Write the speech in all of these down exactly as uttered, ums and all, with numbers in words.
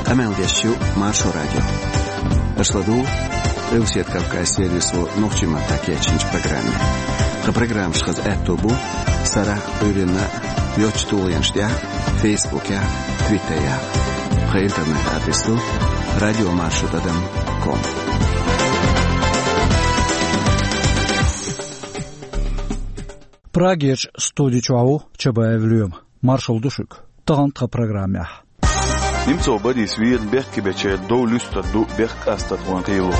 Къамел деш ю Маршо радио. Аша ладугӀу Къилбаседа Кавказан сервисо нохчийн маттахь кечйинчу программе. Тхан программаш хаза аьтто бу сарахь а, Ӏуьйранна а йоцачу тулгӀенаш тӀехь а, Фейсбукехь а, Твиттерехь а. Тхан интернет-адрес ду радио маршо тӀадам ком. Прагерчу студи чохь ву Чабаев Лоьма. Маршалла ду шуьга. Тахана тхан программехь. Немцов Борис вийрина бехке бечеран дов луьстур ду бехк-къастархойн кхело.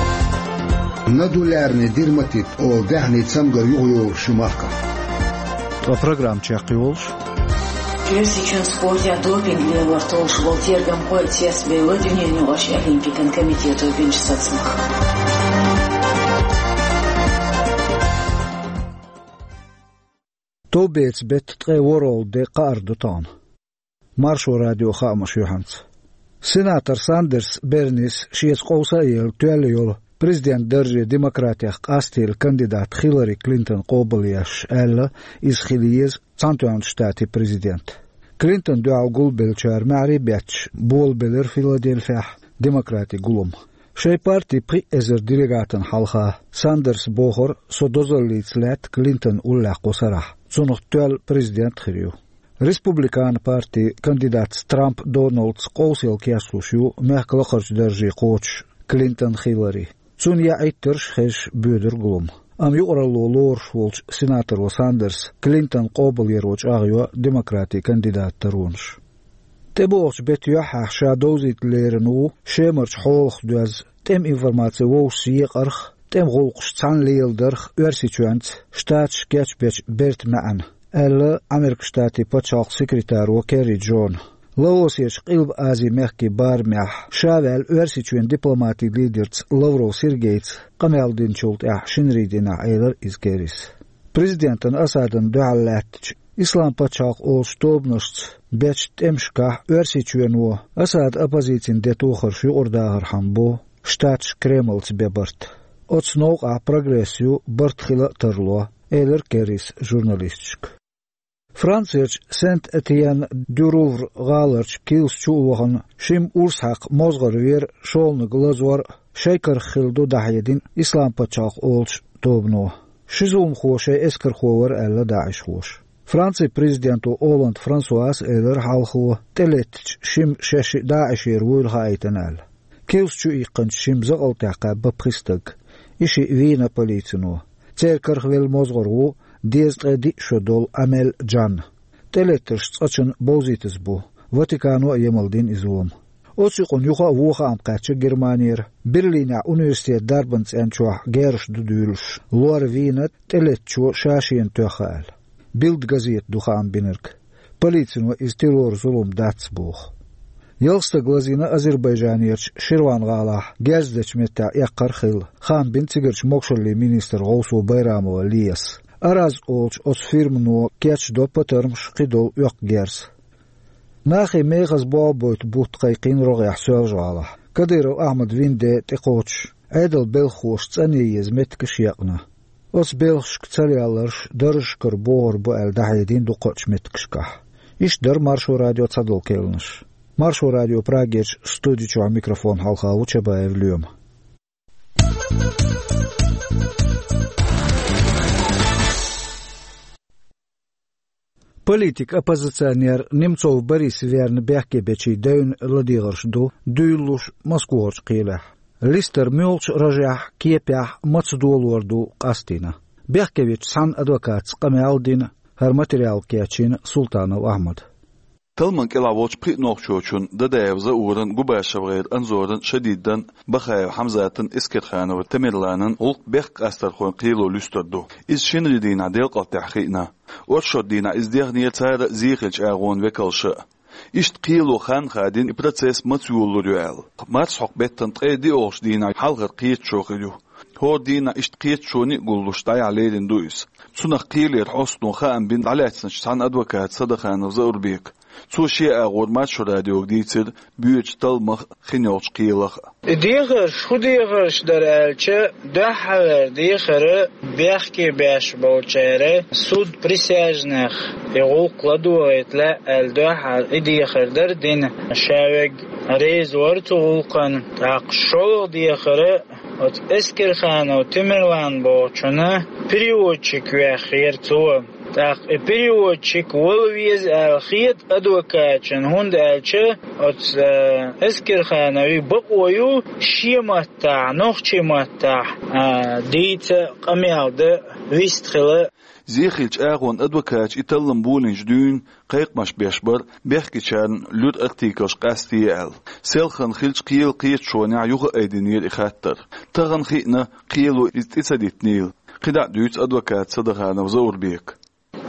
Нодулярный дерматит олу даьхнийн цамгар юхайолуш ю махкахь. Ткъа программа чекхйолуш. Оьрсийчоьнан спортехь допинг лелор толлуш болу тергамхой цецбевлла дуьненаюкъарчу олимпикан комитето бинчу сацамах. Товбецан беттан ткъе ворхӀалгӀа де кхаарш ду тахана. Маршо радион хаамаш юьхьанца. Сенатор Сандерс Бернис шеца къовса а елла тоьлла йолу президентан дарже демократех къастийна кандидат Хиллари Клинтон къобалъеш аьлла, иза хила еза Цхьаьнатоьхначу Штатийн президент. Клинтон дуьхьал гулбеллачара маьхьарий бетташ болабелира Филадельфехь демократийн гулам. Шайн партин пхи эзар делегатана хьалха Сандерс бохура, со дозаллица лаьтта Клинтон уллехь кху сарахь, цунах тоьлла президент а хир ю. Республикан партин кандидатца Трамп Доналдца къовсаелла кечлуш ю мехкан лакхарчу дарже кхочуш Клинтон Хиллари. Цунна яа Ӏиттарш а хезаш боьдура гулам. Амма юкъаралло лоруш волчу сенаторо Сандерса Клинтон къобалъяро чӀагӀйо демократийн кандидатан таронаш. ТӀебогӀучу беттан юьххьехь ша довзийта лерина ву Шемарчу хьолах доьзна, тӀеман информаци вовшашца екъарх, тӀеман гӀуллакхаш цхьаьна леладарх Оьрсийчоьнца Штаташ кечбечу бертан маьӀна, аьлла Америкин Штатийн пачхьалкхан секретаро Керри Джона. Лаосерчу Къилба-Азин мехкийн барамехь ша ваьлла Оьрсийчоьнан дипломатин лидерца Лавров Сергейца къамел динчул тӀаьхьа шинарин дийнахь, элира иза Керрис. Президентана Асадана дуьхьал лаьттачу Ислам-пачхьалкх олучу тобанашца бечу тӀемашкахь Оьрсийчоьно Асадан оппозицин де тохарш юкъара дахархьама бо Штаташ Кремлца бен барт. Оцу новкъахь прогресс ю, барт хила а тарло, элира Керрис журналисташка. Францерчу Сент-Этьен-дю-Рувр гӀаларчу килса чу а вахана, шимма урс хьаькхна мозгӀар вера, шолгӀаниг лазор а шайн карах хилла ду дӀахьедина Ислам-пачхьалкх олучу тобано. Ши зуламхо шайн эскархо вара аьлла даӀишхоша. Францин президенто Олланд Франсуас а элира хьалхо, тӀелеттачу шимма шаьш шиъ даӀишера вуйла хаийтина аьлла. Килса чу иккхинчу шимма закъалтехь кхаьбна пхи стаг. И шиъ вийна полицино. Церан карах велла мозгӀар ву дезткъе диъ шо долу Амель Джан. ТӀелеттарш цкъачунна бовзийтаза бу. Ватикано а емал дина и зулам. Оцу юкъана юха а вон хаам кхаьчна Германера. Берлинехь университетан дарбан цӀен чохь герзаш ду дуьйлуш, лор вийна тӀелеттачо ша шена тоьхна аьлла. Билд газета ду хаам бинарг. Полицино иза террор-зулам дац боху. Ялх стаг лазийна Азербайджанерчу Ширван-гӀалахь герз дечу меттехь эккхар а хилла, хаам бина цигарчу могушаллин министран гӀовсо Байрамова Лиас. Араз олучу оцу фирмано кечдо патармаш, кхидолу оьккху герз. Нахе мехаза болх бойту бутт кхайкхийна рогӀехь Соьлжа-гӀалахь. Кадыров Ахьмадан вина де тӀекхочуш, Ӏедалан белхахоша цӀанъян еза меттигаш екъна. Оцу белхашка царалларш даржашкара богӀур бу аьлла дӀахьедина дукхачу меттигашкахь. Иштта дара Маршо радион цхьадолу кхаьънаш. Маршо радион Прагерчу студи чохь микрофон хьалха ву Чабаев Лоьма. Политик-оппозиционер Немцов Борис верна бехке бечийн девнан ладегӀарш ду дуьйлалуш Москвахарчу кхелехь. Листар муьлхачу ражехь, кепехь, маца долор ду къастийна. Бехке вечу цхьана адвокатца къамел а дина, хӀара материал кечйина Султанов Ахьмада. Талламан кӀелахь волчу пхи нохчочун, Дадаев Зауран, ГубашевгӀеран Анзоран, Шадидан, Бахаев Хьамзатан, Эскерханов Тамерланан гӀуллакх бехк-къастархойн кхело луьстур ду. Иза шинарин дийнахь делкъалтехь хиъна. Оршот дийнахь иза дехнера цара а, зен хиллачу агӀонан векалша а. Иштта кхело хан хадийна, и процесс маца йолалур ю аьлла. Марсхьокху беттан ткъе диъолгӀачу дийнахь хьалхара кхеташо хир ю. ХӀора дийнахь иштта кхеташоне а гуллуш дӀаяхьа лерина ду иза. Цунах кхелера хьостано хаам бина дӀалаьцначу цхьана адвоката Садаханов Заурбека. Цо шен агӀор Маршо радиога дийцира боьдучу талламах а, хин йолчу кхелах а. И дехарш хӀун дехарш дара аьлча, дуьххьара дехар бехке беш болчара суд присяжных и гӀуллакх ладогӀийта лаьа аьлла дуьххьара и дехар дара дина. Ша верг Реза вара цу гӀулакхана. ТӀаккха шолгӀа дехар оцу Эскерханов Темирлан бохучунна переводчик вехира цо. ТӀаккха и переводчик вала веза аьлла хета адвокаташна, хӀунда аьлча оцу, э, Эскерхановн бакъо ю шен маттахь, нохчийн маттахь, а, дийца, къамел дан, вистхила. Зехьа хиллачу агӀонан адвокаташа и таллам болийначу дуьйна кхайкхамаш беш бара, бехкечарна луьра артиклаш къастае аьлла. Селхана хиллачу кхелан кхеташонехь юха а айдинера и хаттар. Тахана хиъна, кхело иза тӀе ца дитинийла. КхидӀа а дуьйцу адвоката Садаханов Заурбека.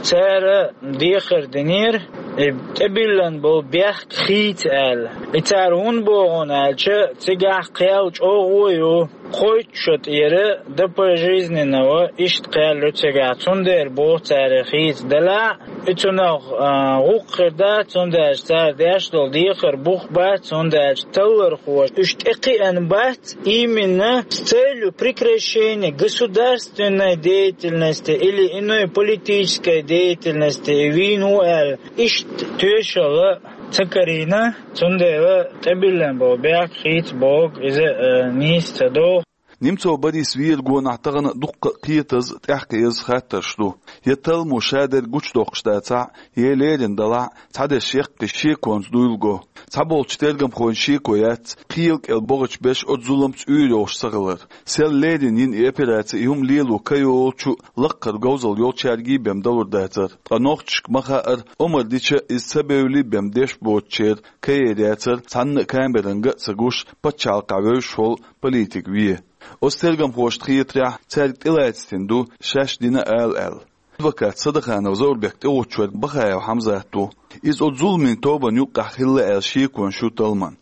Цара дехар динера, и тӀебиллина болу бехк хийца аьлла. И цара хӀунда боху аьлча, цигахь кхел чӀогӀа ю. Кхойтта шо тӀера до пожизненного иштта кхел ю цигахь, цундела боху цара хийца делахь а, и цунах, а, гӀуллакх хир дац, цундела цара деш долу дехар бух бац, цундела таллархоша уьш тӀекхиъна бац, именно с целью прекращения государственной деятельности или иной политической деятельности вийна ву аьлла, иштта тоьшалла ца карийна, цундела тӀебиллина болу бехк хийца боху иза, а, нийса ца догӀу. Немцов Борис вер гонахь тахана а дуккха а кхетаза, тӀаьхьакхетаза хаттарш ду. Я талламо шадерг гучудоккхуш дацахь а, я леррина делахь а, цхьадерш яккхий шеконца дуйла го. Цхьаболчу тергамхойн шеко яц кхелан кӀел богӀучу берш оцу зуламца уьйр йолуш ца хилар. Сел леррина йина и операци и хӀума лело ка йолчу, лаккхара говзалла йолчаьрга бен далур дацара. Ткъа нохчашка ма хаъара, омра дича иза ца бевлла бен деш боцучеран ка ер яцара, цхьанна а камеранга а ца гуш, пачхьалкхехь вевзаш волу политик вен. Оцу тергамхошна хетарехь, цаьрга тӀелацийтина ду шаьш дина ала аьлла. Адвокат Садаханов Заурбек тӀегӀуттуш верг Бахаев Хьамзат ву. Иза оцу зуламийн тобанна юккъехь хилла аьлла шеконаш ю талламан.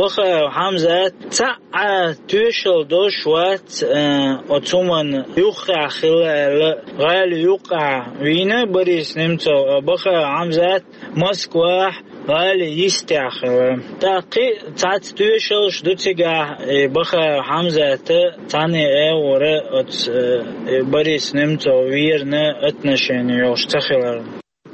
Бахаев Хьамзат цхьа а тоьшалла долуш вац, э, оцу хӀуманна юххехь хилла аьлла, гӀала юккъехь вийна Борис Немцов, а Бахаев Хьамзат Москвахь гӀала йистехь хилла. ТӀаккха кхин а цхьацца тоьшаллаш ду цигахь, и Бахаев Хьамзата цхьаьна агӀора оцу, э, и Борис Немцов верна отношени йолуш ца хилар.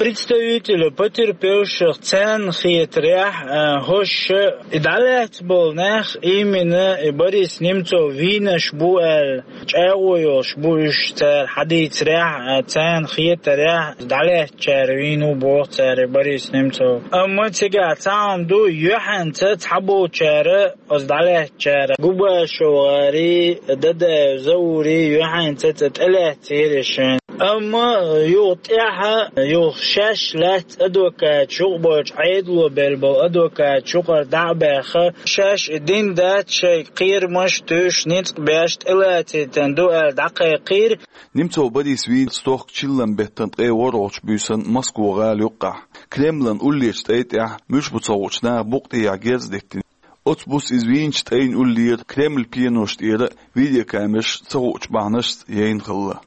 Представителю потерпевших царна хетарехь, э, хӀорш и дӀалаьцна болу нах именно и Борис Немцов вийнарш бу аьлла, чӀагӀо йолуш бу уьш цара хьадийцарехь, а, царна хетарехь, дӀалаьцначара вийна ву боху цара Борис Немцов. Амма цигахь цхьа хӀума ду, юьхьанца цхьаболчара, оцу дӀалаьцначара, Губашев ГӀари, Дадаев Заури, юьхьанца цӀа тӀелаьцнера шайн. Амма юха тӀаьхьа, юха шаьш лаьцна адвокаташ, юкъа болчу Ӏедало белла болу адвокаташ юкъара дӀа а баьхна, шаьш и дина дац, шайн кхерамаш туьйсуш, ницкъ беш тӀелацийтина ду аьлла дӀакхайкхийра. Немцов Борис вийна стохка чиллан беттан ткъе ворхӀалгӀачу буьйсанна Москва-гӀала юккъехь, Кремлан уллерчу тӀай тӀехь, муьлш бу ца хуучу наха букъа тӀехьа герз диттина. Оцу буса иза вийначу тӀайн уллера Кремль пеношна тӀера видеокамераш ца хуучу бахьанашца яйна хилла.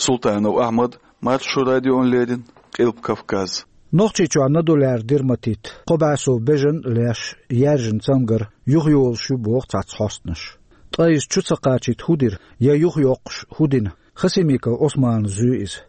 Султанов Ахьмад, Маршо радиона леррина, Къилба Кавказ. Нохчийчохь нодуляр дерматит, кхо бӀе сов бежан а леш, яьржина цамгар юхайолуш ю боху цхьацца хьостанаша. Ткъа иза чу ца кхачийта хӀун дира, я юхайоккхуш хӀун дина? Хасимиков Ӏусмана зуьй иза.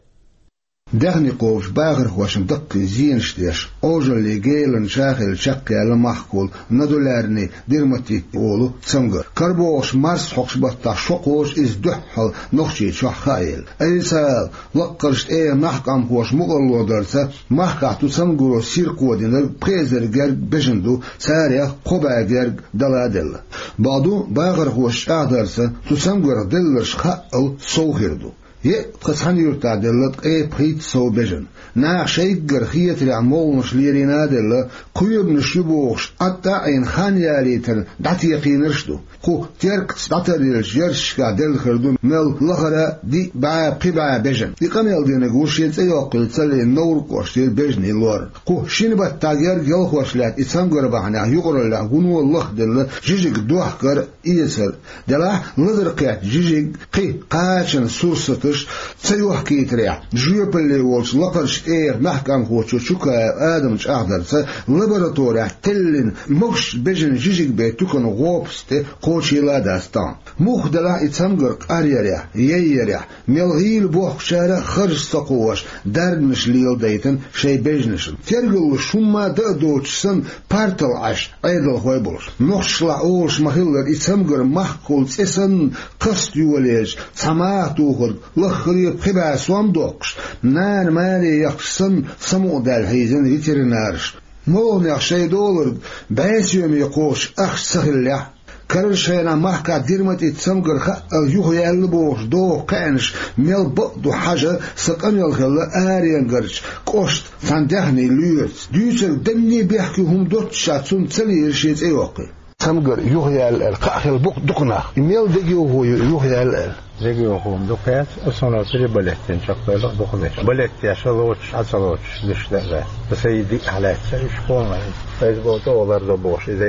Даьхни кхобуш бахархошна даккхий зенаш деш, Ӏожаллин гелан чахилла чекхъяьлла махкахула нодулярный дерматит олу цамгар. КарабогӀуш марсхьокху баттахь шо кхочу иза дуьххьал Нохчийчохь хааелла. Айса ала, лаккхарчу тӀегӀан нах къамхоша мукъарло дарца, махкахь цу цамгаро сирхо динарг пхи эзар герга бежан ду, царех кхо бӀе герга дала а делла. Бакъду, бахархоша чӀагӀдарца, цу цамгарх делларш хаъал сов хир ду. Е а тхан цхьана юьртахь делла ткъе пхийтта сов бежан. Наха шайггара хетарехь молханаш лерина а делла, кхоьбанаш ю бохуш, Ӏад а Ӏийна хан ялийтарна дӀатекхийнарш а ду. Кху теркаца дӀатаръеллачу ярташкахь делла хир ду мел лахара диъ бӀе, пхи бӀе бежан. И къамел динарг ву шен цӀе йоккхуьйту ца лиъна Невран кӀоштара бежанийн лор. Кху шина баттахь герга ялхош лаьтта и цамгар бахьанехь юкъараллехь вуно лахделла жижиг дохкар а, эцар а. Делахь лазар кхетта жижиг кхин кхачанан сурсаташ ца йохкийтарехь, жоьпалле волчу лакхарчу тӀех мехкамхочо Чукаев Адама чӀагӀдарца лабораторехь теллина могуш бежана жижиг бен тукана гӀопас тӀе кхочийла а дац тахана. Муха делахь и цамгар къаръярехь, яйъярехь, мел гӀийла бохкучара а харж ца кхоош, дарбанаш леладайтина шайн бежанашна. Тергаллуш хӀумма а дан а доцуш санна, партал Ӏаш, Ӏедалхой болуш. Нохчашлахь олуш ма-хиллара, и цамгар махкахула цӀе санна кхаста йолаелча, цхьа маха тухург лаххара а пхи бӀе сом доккхуш, нана маре яхча санна, самукъадаьлла хьийзина ветеринараш. МолгӀанех шайн долург бӀе соьме кхочуш ахча ца хиллехь, карарчу хенахь махкахь дерматит цамгар хаъал юхаяьлла бохуш доху кхаьънаш мел бакъ ду хьажа, сан къамел хилла Аренгарчу кӀоштан цхьана даьхнийн лоьраца. Дуьйцург данне бехке хӀума доццушехь, цунна ца лийра шен цӀе йоккхий. Цамгар юхаяьлла аьлла, кхаъ хилла бу-, ду-кх нах. И мел дегайовхо ю юхаяьлла аьлла? Дегайовхо ду-кх яц, аса хӀунда переболеть дина чекхдойла а ду-кх деш. Балет деш а лоцуш, Ӏа ца лоцуш, деш дан а дац. Аса и диъ хьалаьцна уьш кхунна. Иза боху тӀе лардо бохуш, иза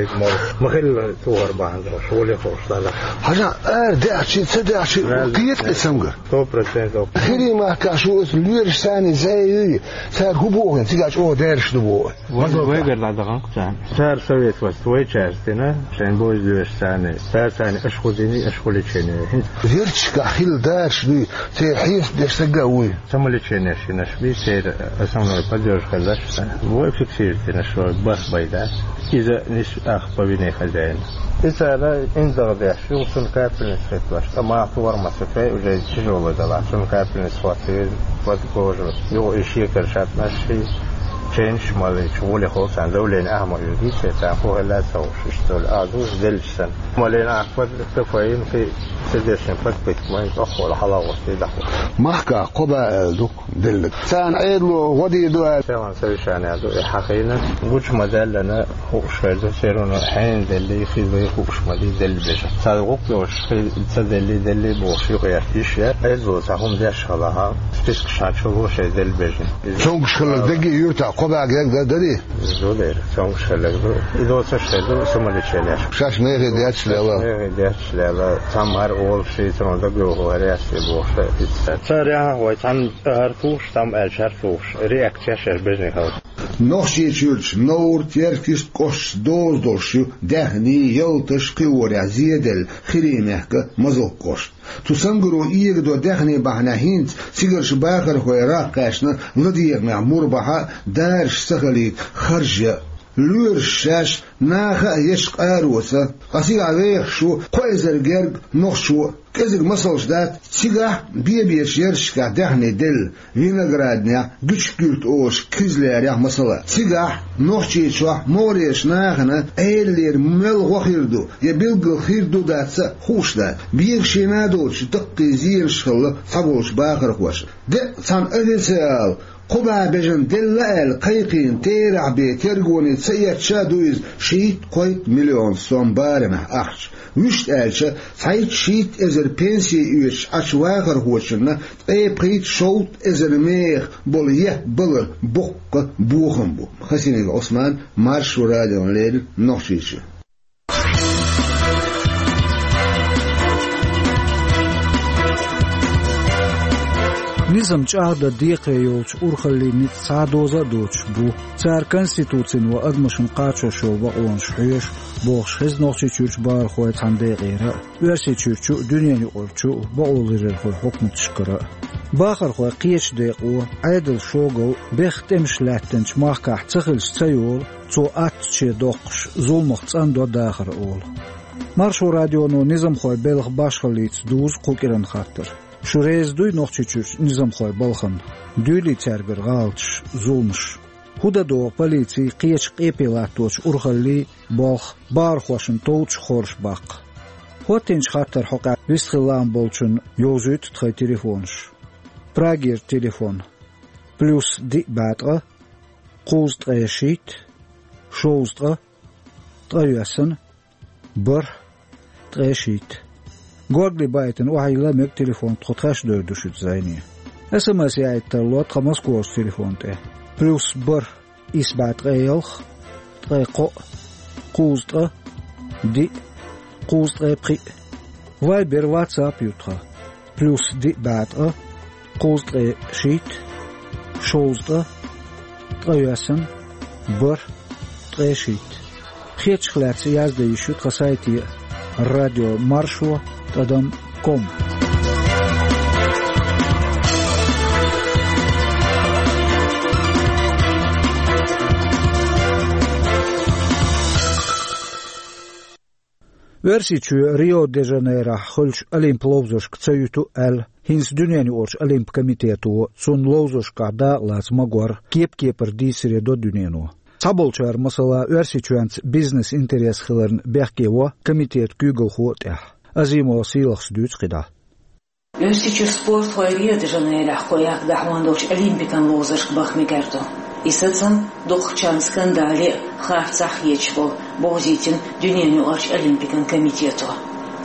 ма-хиллара тухар бахьана долуш, гӀоле ховш дара. Хьажа, ара даьхчи, ца даьхчи, кхета и цамгар. Сто процентов. Хири махкахь шу оцу лоьраш санна зӀе юй, цара хӀун боху, цигахь чӀогӀа даьржаш ду боху. Вай, вайгара дӀадаханкъ царна. Цара совет васт вайчаьрца дина, шайн боза доьшуш царна. Цара царна аша хӀун дина, аша хӀун лечение. ХӀинца герчашкахь хилла дараш дуй, церан хьесап деш стаг а вуй. Самолечение шинаш бий, церан основной поддержка хилла ша. Вай фиксировать дина, шо барх бай дац. Иза нис ах по вине хозяина. И цара индагӀ деш, юха цунна капельница хӀиттош, ткъа маха тухар ма ца фей, уже тяжелый делахь, цунна капельница хӀоттийра, под кожу. Юха и шекар шатнаш ши, ченаш малийча, гӀоле хов царна, давление ахьа ма оьгий, церан хӀун хилла а ца хууш, иштта долу. А дуьйцу делча санна. Малийна ахьа под кофеин, кхин ца дешна под пита, майн тӀоккхула хьала гӀоттий дахула. Махкахь кхо бӀе аьлла ду-кх деллаг. Царна Ӏедало гӀо дийр ду аьлла. Селан совещание ду и хьахийна. Гучу ма-даьллина, хууш хир ду, церан хьенан деллий, хиллий хууш ма дий делла бежа. Цара гӀуллакх йолуш, хи-, ца деллий, деллий бохуш, юкъаерта йиш яра. Ӏедало цхьа хӀума деш хилахь, спискаш хьан чу ло шайн делла бежана. Цомгуш хилларг дагге юьртахь кхо бӀе герга дар дарий? Ду дера, цомгуш хилларг ду. И доцуш хир ду, самолечение. Шаьш мехий детташ лела. Мехий детташ лела. Цхьамма хӀара олуш, шийцаро дагайовхо хӀара яц и бохуш, иштта. Цара яхьа вай цхьамма хӀара тухуш, цхьамма аьлча хӀара тухуш. Реакция шаьш бежнехь хала. Нохчийчуьрчу Новр, Теркйист кӀошташ доза долуш ю даьхний, ялташ, кхиорехь зеделла Хиримехка Мазалк кӀошт. Цу цамгаро эгадо даьхний бахьанехь хӀинца цигарчу бахархой рагӀ кхаьчна ладегӀамехь мур бахьа, дараш ца хилийта харж ян. Лоьраш шаьш наха а ечу къароца, ткъа цигахь вехаш ву кхо эзар герга нохчо. КӀезиг масалш дац, цигахь бе-бечу ярташкахь даьхний делла, Винограднехь, Гуьчкуьрт олуш Кизлярехь масала. Цигахь, Нохчийчохь, могӀарерчу нахана Ӏедалера мел гӀо хир ду, я билггал хир ду-дац а хууш дац. Бегашийна а доцуш, даккхий зенаш хилла цхьаболчу бахархошна. Деккъа цхьана официал кхо бӀе бежана делла аьлла кхайкхийна терахь бен тергоне ца эцча а ду иза шийтта-кхойтта миллион сом барамехь ахча. Вуьшта аьлча, цхьайтта-шийтта эзар пенси оьцуш Ӏачу вахархочунна ткъе пхийтта-шовзткъа эзар меха болу еппа балар боккха бохам бу. Хасимиков Ӏусман, Маршо радиона леррина, Нохчийчуьра. Низам чӀагӀдан декхаре йолчу урхаллийн ницкъ цхьа а доза а доцуш бу. Цара Конституцина ва адамашна кхачош йолу бакъонаш хьоьшу, бохуш хеза Нохчийчуьрчу бахархойн цхьана декъера а, Оьрсийчуьрчу а, дуьненаюкъарчу а бакъоларъярхойн хьукматашкара а. Бахархой кхечу декъо, Ӏедалан шогал бехха тӀемаш лаьттинчу махкахь ца хилча ца йолу, цо аттаче доккхуш, зуламах цӀандо дахар олу. Маршо радионо низамхойн белхан башхаллица дузу кху кӀиран хаттар. Шу реза дуй Нохчийчуьрчу низамхойн балхана? Дуьйлий цаьргара гӀалаташ, зуламаш? ХӀун дан догӀу полицин, кхечу къепе латточу урхаллийн болх бахархошна товчу хорша баккха? ХӀоттийначу хаттаран хьокъехь вистхила лаам болчунна йовзуьйту тхайн телефонаш. Прагера телефон: плюс диъ бӀе ткъа, кхузткъе шийтта, шовзткъа, ткъайоьсна, бархӀ, ткъе шийтта. Горгали байтина охьайилла мега телефон, тхо тхаьш а девр ду шуьца зӀене. СМС яийта тарло тхан Москварчу телефон тӀе: плюс бархӀ, исс бӀе ткъе ялх, ткъе кхоъ, кхузткъа, диъ, кхузткъе пхиъ. Вайбер, WhatsApp ю тхан: плюс диъ бӀе ткъа, кхузткъе шийтта, шовзткъа, ткъайоьсна, бархӀ, ткъе шийтта. Хетачух лаьцна яздан йиш ю тхан сайте радио маршо тӀадам ком. Оьрсийчоь Рио-де-Жанейрохь хуьлучу олимп ловзаршка ца юьту аьлла, хӀинца дуьненан юкъарчу олимп комитето цунна ловзаршкахь дакъалаца магор кеп-кепара дийцаре до дуьнено. Цхьаболчара, масала, Оьрсийчоьнца бизнес-интерес хиларна бехке во комитетан куьйгалхо а тӀехь. Азимова Сийлахас дуьйцу кхидӀа. Оьрсийчуьра спортхой Рио-де-Жанейрохь кхо яккха дӀахьон долчу олимпикан ловзаршка баха мегар ду. И сацам дукхахчарна скандале а, харцахь а хеташ болу, бовзийтина дуьненан юкъарчу олимпикан комитето.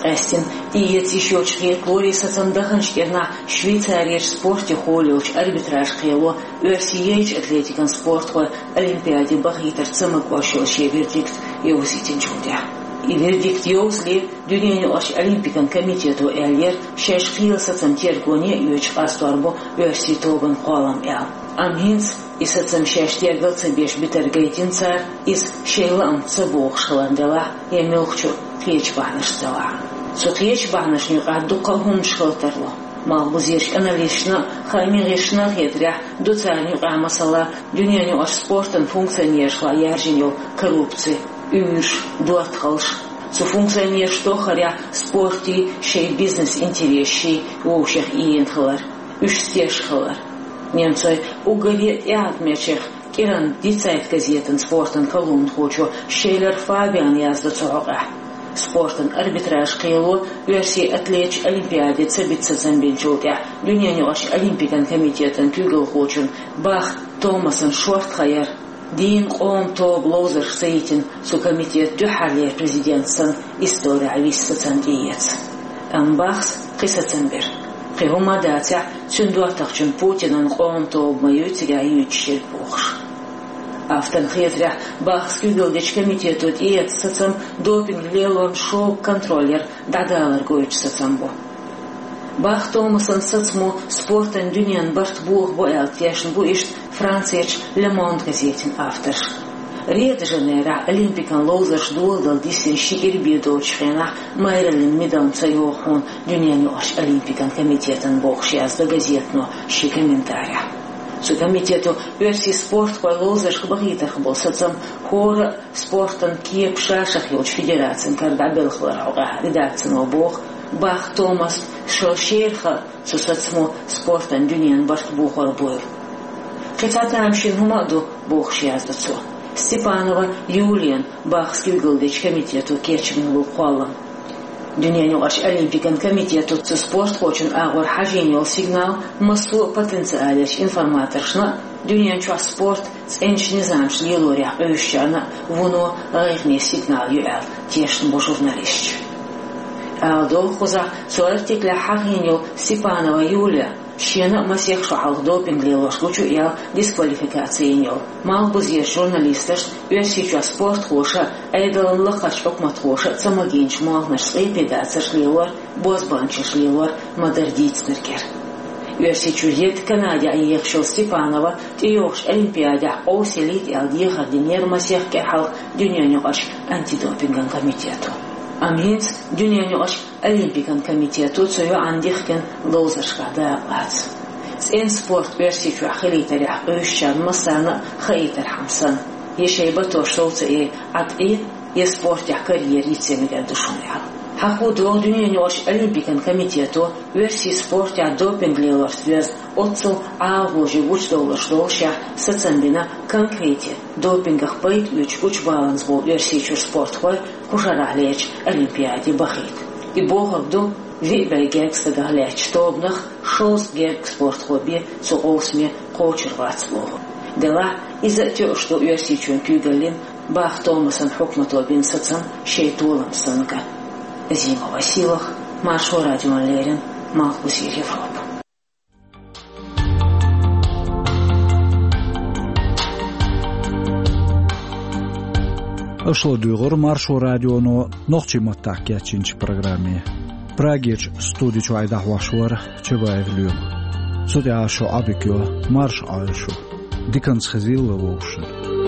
Къаьстина, тӀеэца йиш йолчу хеталора и сацам даханчу кӀирнахь Швейцарерчу спортехула йолчу арбитраж-кхело оьрсийн яйчу атлетикан спортхой олимпиаде бахийтар ца магош йолу шен вердикт йовзийтинчул тӀаьхьа. И вердикт йовзале, дуьненан юкъарчу олимпикан комитето аьллера, шаьш кхелан сацам тергоне а йоьдуш къастор бу оьрсийн тобанан кхоллам аьлла. Амма хӀинца и сацам шаьш тергал ца беш битар гайтина цара, иза шайн лаамца ца богӀуш хиларна делахь, я муьлххачу кхечу бахьанашца делахь. Цу кхечу бахьанашна юкъахь дуккха а хӀуманаш хила тарло. Малхбузерчу аналисташна а, хааман гӀирсашна а хетарехь, ду царна юкъахь, масала, дуьненан юкъарчу спортан функционерашкахь яьржина йолу коррупци, уьйраш, доттагӀалш. Цу функционераш тоххарехь спортийн шайн бизнес-интересаш вовшех ийна хилар, уьш теш хилар. Немцойн уггаре а тӀеӀаткъамечех кӀиранан «Ди Цайт» газетан спортан колумнхочо Шейлер Фабиана яздо цу хьокъехь. Спортан арбитраж-кхело оьрсийн атлеташ олимпиаде ца бита сацам бинчул тӀаьхьа дуьненан юкъарчу олимпикан комитетан куьйгалхочун Бах Томасан шорта хан яра, дийнна къоман тоба ловзаршка ца йитина цу комитетан дуьххьарлера президент санна исторехь вист сацам тӀеэца. Амма Бахас кхин сацам бира. Кхин хӀума а дацахь, цуьнан доттагӀчун Путинан къоман тоба ма ю цигахь юьйцуш ерг бохуш. Авторна хетарехь, Бахас куьйгалла дечу комитето тӀеэцна сацам допинг лелорна шога контроль яр дӀадалар гойтуш сацам бу. Бах Томасан сацамо спортан дуьненан барт бохабо аьлла тешна бу иштта Францерчу «Le Monde» газетан авторш. Рио-де-Жанейрохь олимпикан ловзарш доладала дисина ши кӀира бен доцучу хенахь майраллин медаль ца йогӀу хьуна дуьненан юкъарчу олимпикан комитетана, бохуш яздо газето шен комментарехь. Цу комитето оьрсийн спортхой ловзаршка бахийтарх болу сацам хӀора а спортан кепа ша-шах йолчу федерацин кара дӀабелхалар хьокъехь редакцино боху, Бах Томасна шо шера хан цу сацамо спортан дуьненан барт бохор бойла. Кхин цхьа тамашийна хӀума а ду, бохуш яздо цо. Степанова Юлияна Бахас куьйгалла дечу комитето кечбина бу кхоллам. Дуьненан юкъарчу олимпикан комитето цу спортхочун агӀор хьажийна йолу сигнал массо а потенциалерчу информаторшна а, дуьнен чохь спорт цӀеначу низамаш лелорехь къуьйсучарна а вуно гӀайгӀане сигнал ю аьлла тешна бу журналисташ. Ала догӀу кхузахь цу артиклехь хьахийна йолу Степанова Юлия шена а масех шо хьалха допинг лелош гучу а яьлла дисквалификаци йина йолу. Малхбузерчу журналисташна, Оьрсийчохь спортхоша а, Ӏедалан лакхарчу хьукматхоша а ца магийначу молханашца къепедацарш лелор, бозбуанчаш лелор ма-дарра дийцинарг яра. Оьрсийчуьра ерг Канадехь ехаш йолу Степанова тӀейогӀучу олимпиадехь къовсаялийта аьлла дехар динера масех кӀира хьалха дуьненан юкъарчу антидопинган комитето. Амма хӀинца дуьненан юкъарчу олимпикан комитето цу йоӀана дихкина ловзаршкахь дакъалаца. ЦӀена спорт Оьрсийчохь хилийтарехь къуьйсучарна массарна а хаийтархьама санна, я шайн батош сов ца Ӏа тӀе, я спортехь карьера йице мегар ду шуна аьлла. Хьахо догӀу дуьненан юкъарчу олимпикан комитето оьрсийн спортехь допинг лелорца доьзна оццул ӀалагӀожий гучудовларш доллушехь сацам бина конкрете допингах пайда оьцуш гучубаланза болу Оьрсийчуьра спортхой кху шарахь лерчу олимпиаде бахийта. И бохург ду, виъ бӀе гергга стагах лаьттачу тобанах шовзткъа гергга спортхо бен цу къовсаме кхочур вац бохург. Делахь, иза а тоьуш ду Оьрсийчоьнан куьйгаллин Бах Томасан хьукмато бина сацам шайн толам санна ган. Азимова Сийлаха, Маршо радиона леррина, Малхбузера Европа. Аша ладуьйгӀира Маршо радионо нохчийн маттахь кечйинчу программе. Прагерчу студи чуьра дӀахьош вара Чабаев Лоьма. Цу тӀехьа шо Ӏобигайо, марша Ӏойла шу. Диканца хезийла вай вовшашта.